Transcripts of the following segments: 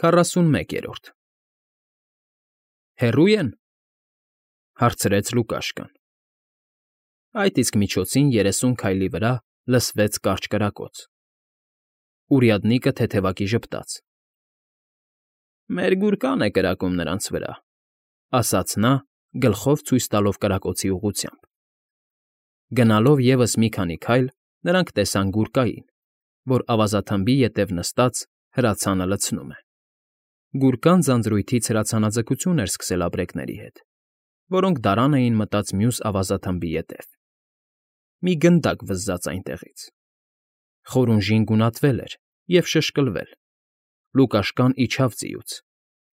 41-րդ Հեռո՞ւ են,֊ հարցրեց Լուկաշկան։ Այդ իսկ միջոցին 30 քայլի վրա լսվեց կարճ կրակոց։ Урядնիկը թեթևակի ժպտաց։ «Մեր գուրկան է կրակում նրանց վրա,֊ ասաց նա, գլխով ցույց տալով կրակոցի ուղղությամբ։ Գնալով ևս մի քանի քայլ նրանք տեսան գուրկային, որ ավազաթմբի ետև նստած հրացանը լցնում է։ Գուրկան ձանձրույթից հրացանաձգություն էր սկսել ապրեկների հետ, որոնք դարան էին մտած մյուս ավազաթմբի ետև։ Մի գնդակ վզզաց այնտեղից։ Խորունժին գունատվել էր և շշկլվել։ Լուկաշկան իջավ ձիուց,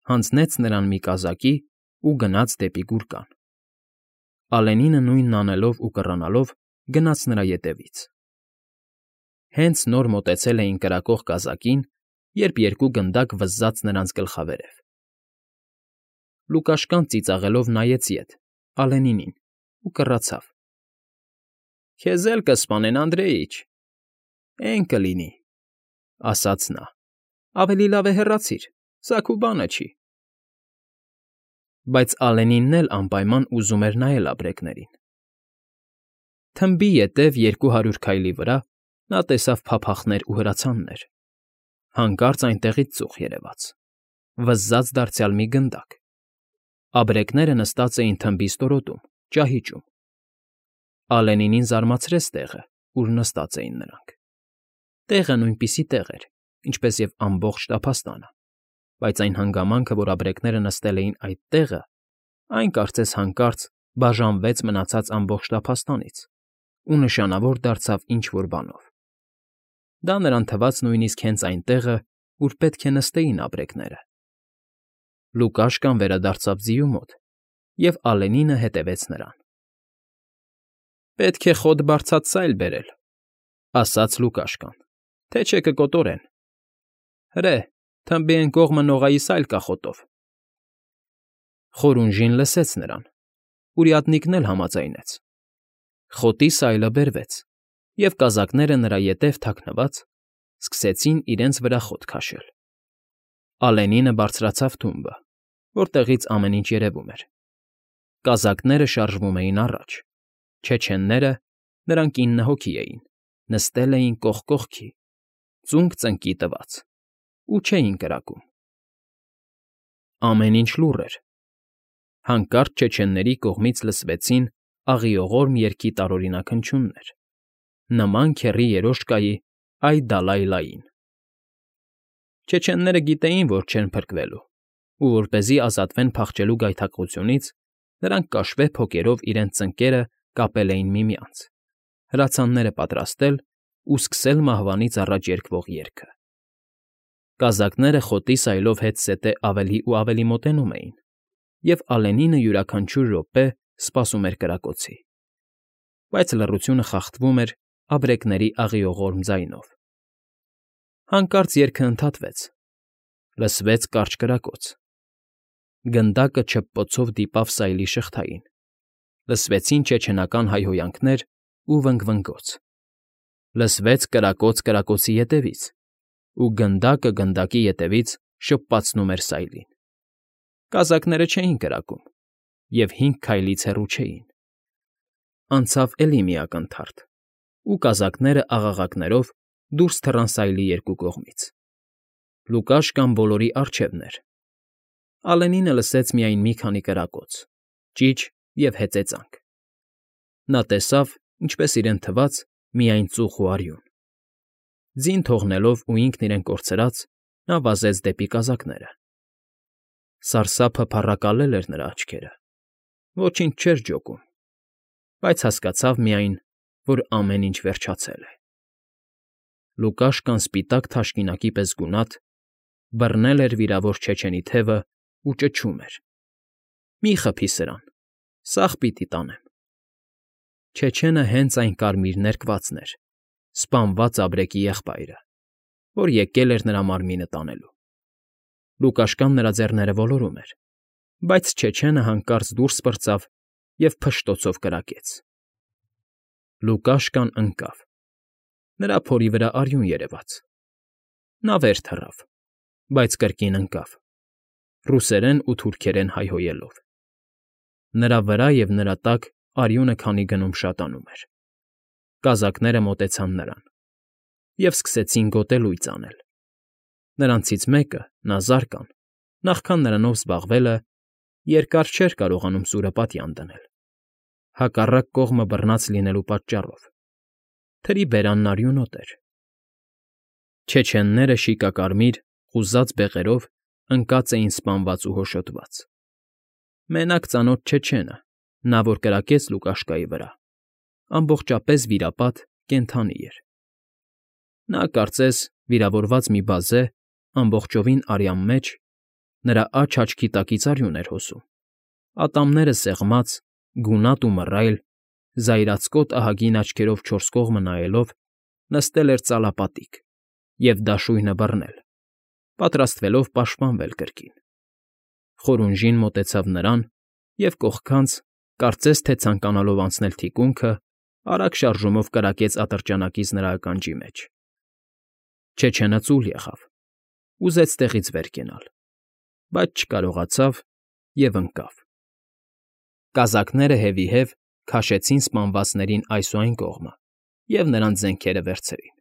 հանձնեց նրան մի կազակի ու գնաց դեպի գուրկան։ Ալենինը նույնն անելով ու կռանալով գնաց նրա ետևից։ Հենց նոր մոտեցել էին կրակող կազակին, երբ երկու գնդակ վզզաց նրանց գլխավերև։ Լուկաշկան ծիծաղելով նայեց ետ, Ալենինին, ու կռացավ. «Քեզ էլ կսպանեն, Անդրեիչ»։ «Էն կլինի,֊ ասաց նա,֊ ավելի լավ է հեռացիր, սա քո բանը չի»։ Բայց Ալենինն էլ անպայման ուզում էր նայել ապրեկներին։ Թմբի ետև 200 քայլի վրա նա տեսավ փափախներ ու հրացաններ։ Հանկարծ այնտեղից ծուխ երևաց, վզզաց դարձյալ մի գնդակ։ Ապրեկները նստած էին թմբի ստորոտում, ճահիճում։ Ալենինին զարմացրեց տեղը, ուր նստած էին նրանք։ Տեղը նույնպիսի տեղ էր, ինչպես և ամբողջ տափաստանը, բայց այն հանգամանքը, որ ապրեկները նստել էին այդ տեղը, այն կարծես հանկարծ բաժանվեց մնացած ամբողջ տափաստանից ու նշանավոր դարձավ ինչ֊որ բանով։ Դա նրան թվաց նույնիսկ հենց այն տեղը, ուր պետք է նստեին ապրեկները։ Լուկաշկան վերադարձավ ձիու մոտ, և Ալենինը հետևեց նրան։ «Պետք է խոտ բարձած սայլ բերել,֊ ասաց Լուկաշկան,֊ թե չէ կկոտորեն։ Հրե, թմբի էն կողմը նողայի սայլ կա խոտով»։ Խորունժին լսեց նրան, урядникն էլ համաձայնեց։ Խոտի սայլը բերվեց, և կազակները նրա ետև թաքնված սկսեցին իրենց վրա խոտ քաշել։ Ալենինը բարձրացավ թումբը, որտեղից ամեն ինչ երևում էր։ Կազակները շարժվում էին առաջ, չեչենները, նրանք 9 հոգի էին, նստել էին կողք կողքի, ծունկ ծնկի տված, ու չէին կրակում։ Ամեն ինչ լուռ էր։ Հանկարծ չեչենների կողմից լսվեցին աղիողորմ երգի տարօրինակ հնչյուններ, նման քեռի երոշկայի «Այ֊դալայ֊լային»։ Չեչենները գիտեին, որ չեն փրկվելու, ու որպեսզի ազատվեն փախչելու գայթակղությունից, նրանք կաշվե փոկերով իրենց ծնկները կապել էին միմյանց, հրացանները պատրաստել ու սկսել մահվանից առաջ երգվող երգը։ Կազակները խոտի սայլով հետզհետե ավելի ու ավելի մոտենում էին, և Ալենինը յուրաքանչյուր րոպե սպասում էր կրակոցի։ Բայց լռությունը խախտվում էր ապրեկների աղիողորմ ձայնով։ Հանկարծ երգը ընդհատվեց։ Լսվեց կարճ կրակոց։ Գնդակը չփփոցով դիպավ սայլի շղթային։ Լսվեցին չեչենական հայհոյանքներ ու վնգվնգոց։ Լսվեց կրակոց կրակոցի ետևից, ու գնդակը գնդակի ետևից շպպացնում էր սայլին։ Կազակները չէին կրակում և 5 քայլից հեռու չէին։ Անցավ էլի մի ակնթարթ, ու կազակները աղաղակներով դուրս թռան սայլի երկու կողմից։ Լուկաշկան բոլորի առջևն էր։ Ալենինը լսեց միայն մի քանի կրակոց, ճիչ և հեծեծանք։ Նա տեսավ, ինչպես իրեն թվաց, միայն ծուխ ու արյուն։ Ձին թողնելով ու ինքն իրեն կորցրած՝ նա վազեց դեպի կազակները։ Սարսափը փառակալել էր նրա աչքերը։ Ոչինչ չէր ջոկում, բայց հասկացավ միայն, որ ամեն ինչ վերջացել է։ Լուկաշկան սպիտակ թաշկինակի պես գունատ բռնել էր վիրավոր չեչենի թևն ու ճչում էր. «Մի խփի սրան, սաղ պիտի տանեմ»։ Չեչենը հենց այն կարմիր ներկվածն էր, սպանված ապրեկի եղբայրը, որ եկել էր նրա մարմինը տանելու։ Լուկաշկան նրա ձեռները ոլորում էր, բայց չեչենը հանկարծ դուրս պրծավ և փշտոցով կրակեց։ Լուկաշկան ընկավ։ Նրա փորի վրա արյուն երևաց։ Նա վեր թռավ, բայց կրկին ընկավ, ռուսերեն ու թուրքերեն հայհոյելով։ Նրա վրա և նրա տակ արյունը քանի գնում շատանում էր։ Կազակները մոտեցան նրան և սկսեցին գոտելույծ անել։ Նրանցից մեկը, Նազարկան, նախքան նրանով զբաղվելը, երկար չէր կարողանում սուրը պատյան դնել, հակառակ կողմը բռնած լինելու պատճառով։ Թրի բերանն արյունոտ էր։ Չեչենները շիկակարմիր, խուզած բեղերով ընկած էին սպանված ու հոշոտված։ Մենակ ծանոթ չեչենը, նա, որ կրակեց Լուկաշկայի վրա, ամբողջապես վիրապատ կենդանի էր։ Նա, կարծես, վիրավորված մի բազե, ամբողջովին արյան մեջ, նրա աջ֊աչքի տակից արյուն էր հոսում, ատամները սեղմած, գունատ ու մռայլ, զայրացկոտ ահագին աչքերով չորս կողմը նայելով, նստել էր ծալապատիկ և դաշույնը բռնել, պատրաստվելով պաշտպանվել կրկին։ Խորունժին մոտեցավ նրան և կողքանց, կարծես թե ցանկանալով անցնել թիկունքը, արագ շարժումով կրակեց ատրճանակից նրա ականջի մեջ։ Չեչենը ծուլ եղավ, ուզեց տեղից վեր կենալ, բայց չկարողացավ և ընկավ։ Կազակները հետևի-հետ քաշեցին սպանվածներին այս ու այն կողմը և նրանց զենքերը վերցրին։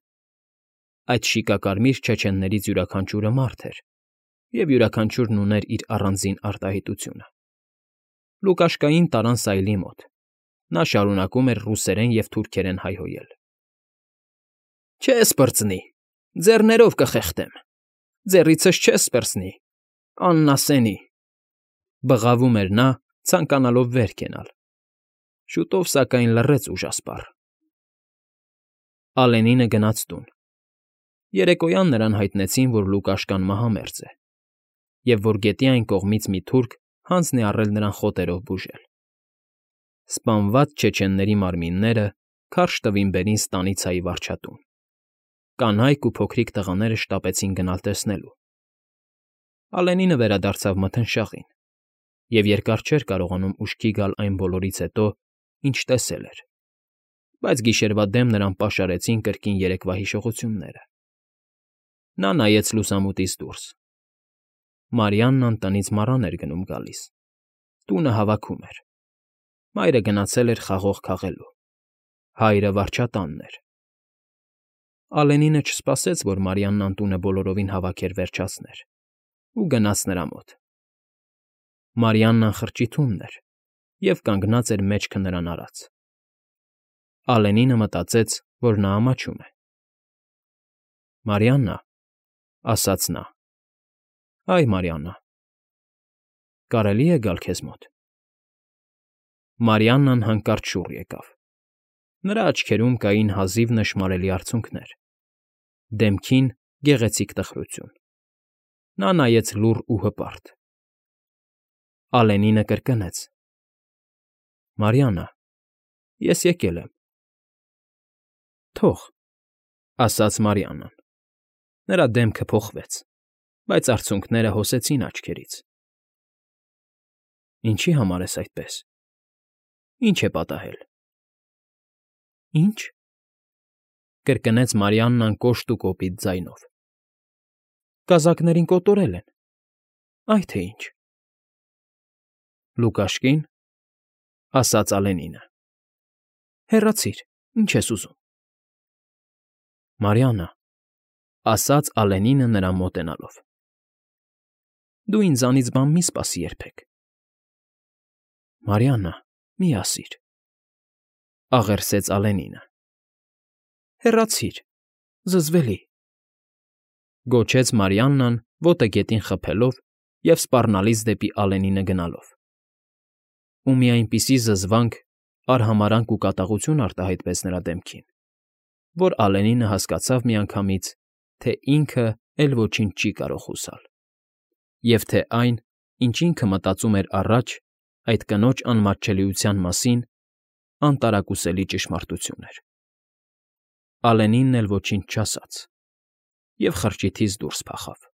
Այդ շիկակարմիր չեչեններից յուրաքանչյուրը մարդ էր, և յուրաքանչյուրն ուներ իր առանձին արտահայտությունը։ Լուկաշկային տարան սայլի մոտ։ Նա շարունակում էր ռուսերեն և թուրքերեն հայհոյել. Չես պրծնի, ձեռներով կխեղդեմ, ձեռիցս չես պրծնի, աննասենի, բղավում էր նա, ցանկանալով վեր կենալ։ Շուտով, սակայն, լռեց ուժասպառ։ Ալենինը գնաց տուն։ Երեկոյան նրան հայտնեցին, որ Լուկաշկան մահամերձ է, և որ գետի այն կողմից մի թուրք հանձն է առել նրան խոտերով բուժել։ Սպանված չեչենների մարմինները քարշ տվին բերին ստանիցայի վարչատուն։ Կանայք ու փոքրիկ տղաները շտապեցին գնալ տեսնելու։ Ալենինը վերադարձավ մթնշաղին և երկար չէր կարողանում ուշքի գալ այն բոլորից հետո, ինչ տեսել էր, բայց գիշերվա դեմ նրան պաշարեցին կրկին երեկվա հիշողությունները։ Նա նայեց լուսամուտից դուրս։ Մարիաննան տնից մառան էր գնում֊գալիս, տունը հավաքում էր։ Մայրը գնացել էր խաղող քաղելու, հայրը վարչատանն էր։ Ալենինը չսպասեց, որ Մարիաննան տունը բոլորովին հավաքեր֊վերջացներ, ու գնաց նրա մոտ։ Մարիաննան խրճիթումն էր և կանգնած էր մեջքը նրան արած։ Ալենինը մտածեց, որ նա ամաչում է։ «Մարիաննա», ասաց նա։ «Այ, Մարիաննա, կարելի՞ է գալ քեզ մոտ»։ Մարիաննան հանկարծ շուռ եկավ։ Նրա աչքերում կային հազիվ նշմարելի արցունքներ, դեմքին՝ գեղեցիկ տխրություն։ Նա նայեց լուռ ու հպարտ։ Ալենինը կրկնեց. «Մարիաննա, ես եկել եմ»։ «Թող», ասաց Մարիաննան։ Նրա դեմքը փոխվեց, բայց արցունքները հոսեցին աչքերից։ «Ինչի համար ես այդպես։ Ինչ է պատահել»։ «Ինչ»։ Կրկնեց Մարիաննան կոշտ ու կոպիտ ձայնով։ «Կազակներին կոտորել են, այ թե ինչ»։ «Լուկաշկի՞ն», ասաց Ալենինը։ «Հեռացիր, ինչ ես ուզում»։ «Մարիաննա», ասաց Ալենինը նրան մոտենալով։ «Դու ինձանից բան մի՛ սպասի երբեք»։ «Մարիաննա, մի ասիր», աղերսեց Ալենինը։ «Հեռացիր, զզվելի», գոչեց Մարիաննան, ոտը գետին խփելով և սպառնալից դեպի Ալենինը գնալով։ Ու մի այնպիսի զզվանք, արհամարհանք ու կատաղություն արտահայտվեց նրա դեմքին, որ Ալենինը հասկացավ միանգամից, թե ինքը էլ ոչինչ չի կարող հուսալ, և թե այն, ինչ ինքը մտածում էր առաջ, այդ կնոջ անմատչելիության մասին, անտարակուսելի ճշմարտություն էր։ Ալենինն էլ ոչինչ չասաց և խրճիթից դուրս փախավ։